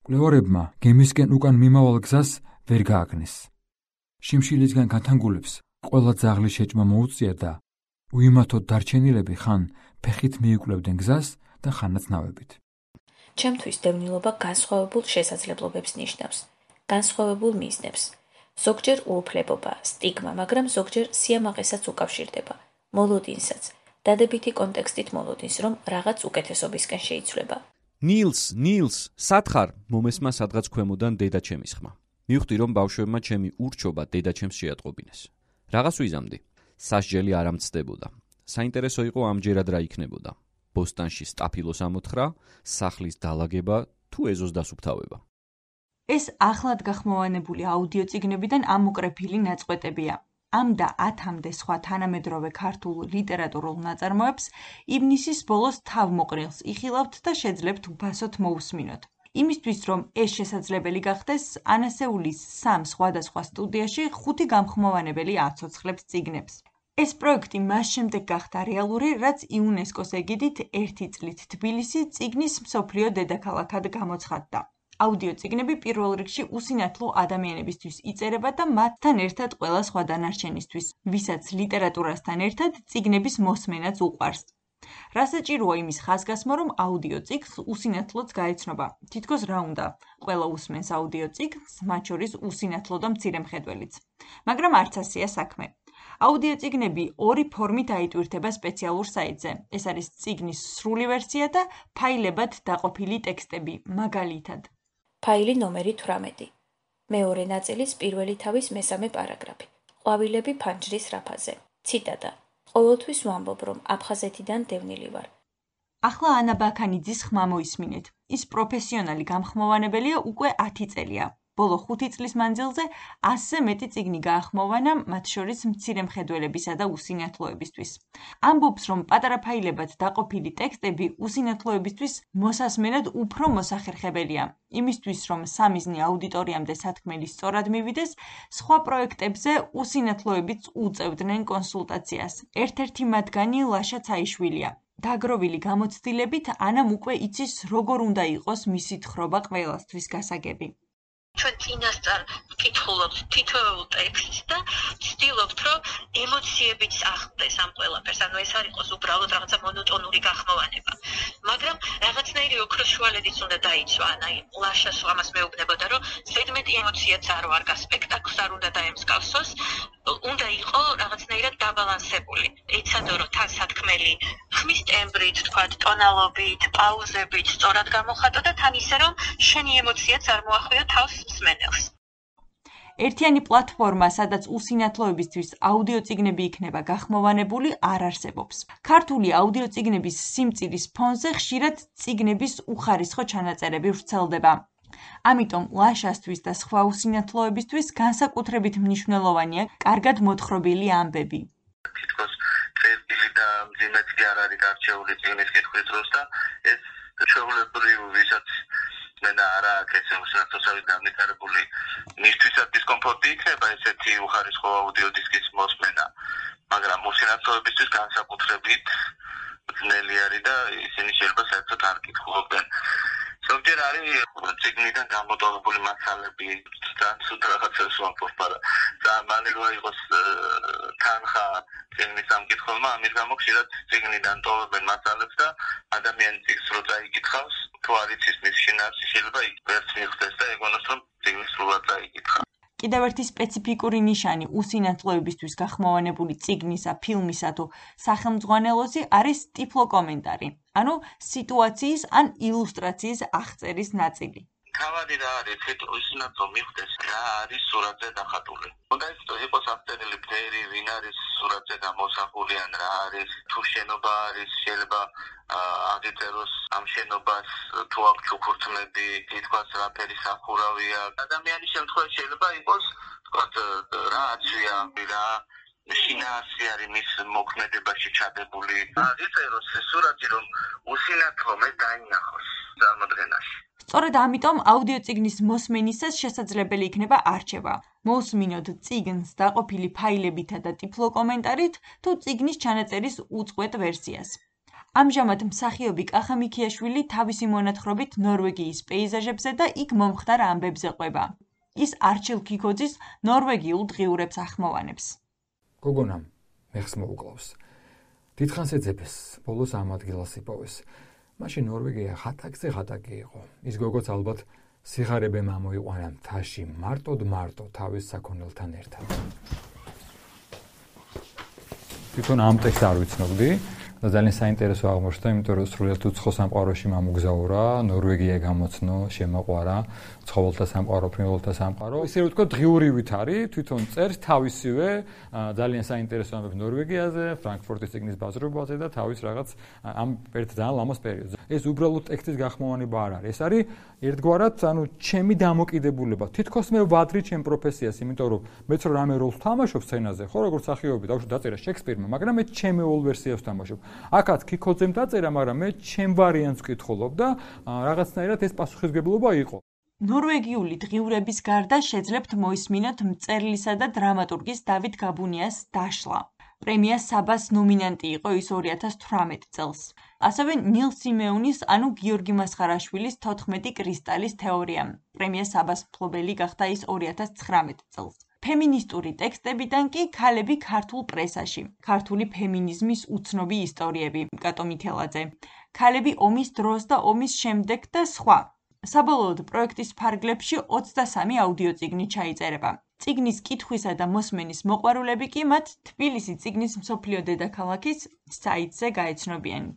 მკვლევარებმა გემისკენ უკან მიმავალ გზას ვერ გააგნეს. შიმშილისგან განთანგულებს ყველა ძაღლის შეჭმა მოუწია და უიმართოდ დარჩენილები ხან ფეხით მიიკვლევდნენ გზას და ხანაც ნავებით. ჩემთვის დევნილობა განსხვავებულ შესაძლებლობებს ნიშნავს, განსხვავებულ მიზნებს. ზოგჯერ უუფლებობა, სტიგმა, მაგრამ ზოგჯერ სიამაყესაც უკავშირდება, მოლოდინსაც, დადებითი კონტექსტით მოლოდინს, რომ რაღაც უკეთესობისკენ შეიცვლება. ნილს, სათხარ, მომესმა სადღაც ქვემოდან დედაჩემის ხმა. მივხვდი, რომ ბავშვებმა ჩემი ურჩობა დედაჩემს შეატყობინეს. რაღაც ვიზამდი. სასჯელი არ ამცდებოდა. საინტერესო იყო ამჯერად რა იქნებოდა. ბოსტანში სტაფილოს ამოთხრა, სახლის დალაგება თუ ეზოს დასუფთავება. ეს ახლად გახმოვანებული აუდიო წიგნებიდან ამოკრეფილი ნაწყვეტებია. ამ და 10-მდე სხვა თანამედროვე ქართულ ლიტერატურულ ნაწარმოებს ივნისის ბოლოს თავმოყრილს იხილავთ და შეძლებთ უფასოდ მოусმინოთ. იმისთვის, რომ ეს შესაძლებელი გახდეს, ანასეულის 3 სხვადასხვა სტუდიაში 5 გამხმოვანებელი აცოცხლებს წიგნებს. ეს პროექტი მას შემდეგ გახდა რეალური, რაც იუნესკოს ეგიდით 1 წლით თბილისი წიგნის მსოფლიო დედაქალაქად გამოცხადდა. აუდიო წიგნები პირველ რიგში უსინათლო ადამიანებისთვის იწერება და მათთან ერთად ყველა სხვა დანარჩენისთვის, ვისაც ლიტერატურასთან ერთად წიგნების მოსმენაც უყვარს. რა საჭიროა იმის ხაზგასმა, რომ აუდიო წიგნს უსინათლოც გაეცნობა. თითქოს რა უნდა, ყველა უსმენს აუდიო წიგნს, მათ შორის უსინათლო და მცირე მხედველიც. მაგრამ არც ასეა საქმე. აუდიო წიგნები 2 ფორმით აიტვირთება სპეციალურ საიტზე. ეს არის წიგნის სრული ვერსია და ფაილებად დაყოფილი ტექსტები, მაგალითად. ფაილი ნომერი 18. მეორე ნაწილის პირველი თავის მესამე პარაგრაფი. ყვავილები ფანჯრის რაფაზე. ციტატა. ყოველთვის ვამბობ, რომ აფხაზეთიდან დევნილი ვარ. ახლა ანა ბაქანიძის ხმა მოისმინეთ. ის პროფესიონალი გამხმოვანებელია უკვე 10 წელია. ბოლო 5 წლის მანძილზე 100-ზე მეტი წიგნი გაახმოვანა, მათ შორის მცირე მხედველებისა და უსინათლოებისთვის. ამბობს, რომ პატარა ფაილებად დაყოფილი ტექსტები უსინათლოებისთვის მოსასმენად უფრო მოსახერხებელია. იმისთვის, რომ სამიზნე აუდიტორიამდე სათქმელი სწორად მივიდეს, სხვა პროექტებზე უსინათლოებიც უწევდნენ კონსულტაციას. ერთ-ერთი მათგანი ლაშა ცაიშვილია. დაგროვილი გამოცდილებით ანამ უკვე იცის, როგორ უნდა იყოს მისი თხრობა ყველასთვის გასაგები. ჩვენ წინასწარ ვკითხულობთ თითოეულ ტექსტს და ვცდილობთ, რომ ემოციებიც აღწევს ამ ყველაფერს. ანუ ეს არ იყოს უბრალოდ რაღაცა მონოტონური გახმოვანება. მაგრამ რაღაცნაირი ოქროს შუალედიც უნდა დაიცვა. ანუ ლაშას ამას მეუბნებოდა, რომ ზედმეტი ემოციაც არ ვარგა, სპექტაკლს არ უნდა დაემსგავსოს, უნდა იყო რაღაცნაირად დაბალანსებული. ეცადო, რომ თან სათქმელი ხმის ტემბრით, თქვათ, ტონალობით, პაუზებით სწორად გამოხატო და თან ისე, რომ შენი ემოციაც არ მოახვიო თავს მსმენელს. ერთიანი პლატფორმა, სადაც უსინათლოებისთვის აუდიო წიგნები იქნება გახმოვანებული, არ არსებობს. ქართული აუდიო წიგნების სიმწირის ფონზე ხშირად წიგნების უხარისხო ჩანაწერები ვრცელდება. ამიტომ ლაშასთვის და სხვა უსინათლოებისთვის განსაკუთრებით მნიშვნელოვანია კარგად მოთხრობილი ამბები. თითქოს წერტილი და მძიმეც კი არ არის გარჩეული წიგნის კითხვის დროს და ეს ჩვეულებრივ ვისაც მენა არა აქ ეს უსინათლოსავით განვითარებული მისთვისაც დისკომფორტი იქნება ესეთი უხარისხო აუდიო დისკის მოსმენა, მაგრამ უსინათლოებისთვის განსაკუთრებით ძნელი არის და ისინი შეიძლება საერთოდ არ კითხულობდნენ. ზოგჯერ არის წიგნიდან გამოტოვებული მასალები, თან სულ რაღაცას ვამბობ, მაგრამ მალე იყოს თანხა წიგნის ამკითხველმა, ამის გამო ხშირად წიგნიდან ტოვებენ მასალებს და ადამიანი წიგნს რო წაიკითხავს, თუ არ იცის მის შინაარსი, შეიძლება ვერც მიხვდეს და ეგონოს, რომ წიგნი სრულად წაიკითხა. კიდევ ერთი სპეციფიკური ნიშანი უსინათლოებისთვის გახმოვანებული წიგნისა, ფილმისა თუ სახელმძღვანელოსი არის ტიფლოკომენტარი, ანუ სიტუაციის ან ილუსტრაციის აღწერის ნაწილი. თავადი რა არის, უსინათლო მიხვდეს რა არის სურათზე დახატული. უნდა იყოს აღწერილი ფერი, ვინ არის სურათზე გამოსახული, ან რა არის, თუ შენობა არის, შეიძლება აგიწეროს ამ შენობას თუ აქვს ჩუქურთმები, თითქოს რა ფერი სახურავია. ადამიანის შემთხვევაში შეიძლება იყოს, თქვათ, რა აცვია, რა შინაარსი არის მის მოქმედებაში ჩადებული. აგიწეროს სურათი, რომ უსინათლო მე დაინახოს წარმოდგენაში. სწორედ ამიტომ აუდიო წიგნის მოსმენისას შესაძლებელი იქნება არჩევა. მოусმინოთ წიგნს დაყოფილი ფაილებითა და ტიფლოკომენტარით თუ წიგნის ჩანაწერის უწყვეტ ვერსიას. ამჟამად მსახიობი კახა მიქიაშვილი თავისი მონათხრობით ნორვეგიის პეიზაჟებზე და იქ მომხდარ ამბებზე ყვება. ის არჩილ ქიქოძის ნორვეგიულ დღიურებს ახმოვანებს. გოგონამ მეხს მოუკლავს. დიდხანს ეძებეს, ბოლოს ამ ადგილას იპოვეს. მაშინ ნორვეგია ხატაკზე იყო. ის გოგოც ალბათ სიღარიბემ ამოიყვანა მთაში მარტო თავის საქონელთან ერთად. თვითონ ამ ტექსტს არ ვიცნობდი და ძალიან საინტერესო აღმოჩნდა, იმიტომ რომ სრულიად უცხო სამყაროში მომგზავრა, ნორვეგია გამოცნო, შემოყვარა, ცხოველთა სამყარო, ფრინველთა სამყარო. ისე რომ ვთქვა, დღიურივით არის, თვითონ წერს თავისივე ძალიან საინტერესო ამბებს ნორვეგიაზე, ფრანკფურტის ციგნის ბაზრობაზე და თავის რაღაც ამ ძალიან ლამაზ პერიოდზე. ეს უბრალოდ ტექსტის გახმოვანება არ არის. ეს არის ერთგვარად, ჩემი დამოკიდებულება. თითქოს მე ვადრი ჩემ პროფესიას, იმიტომ რომ მეც რომ რამე როლს თამაშობ სცენაზე, ხო, როგორც მსახიობი, დაუშვათ დაწერა შექსპირმა, მაგრამ მე ჩემი ოლ ვერსიას ვთამაშობ. აქაც ქიქოძემ დაწერა, მაგრამ მე ჩემ ვარიანტს ვკითხულობ და რაღაცნაირად ეს პასუხისმგებლობა იყო. ნორვეგიული დღიურების გარდა შეძლებთ მოისმინოთ მწერლისა და დრამატურგის დავით გაბუნიას დაშლა. პრემია საბას ნომინანტი იყო ის 2018 წელს. ასევე ნილ სიმეონის, გიორგი მასხარაშვილის 14 კრისტალის თეორია. პრემია საბას მფლობელი გახდა ის 2019 წელს. ფემინისტური ტექსტებიდან კი ქალები ქართულ პრესაში. ქართული ფემინიზმის უცნობი ისტორიები. კატო მითელაძე. ქალები ომის დროს და ომის შემდეგ და სხვა. საბოლოოდ პროექტის ფარგლებში 23 აუდიო წიგნი ჩაიწერება. წიგნის კითხვისა და მოსმენის მოყვარულები კი მათ თბილისი წიგნის მსოფლიო დედაქალაქის საიტზე გაეცნობიან.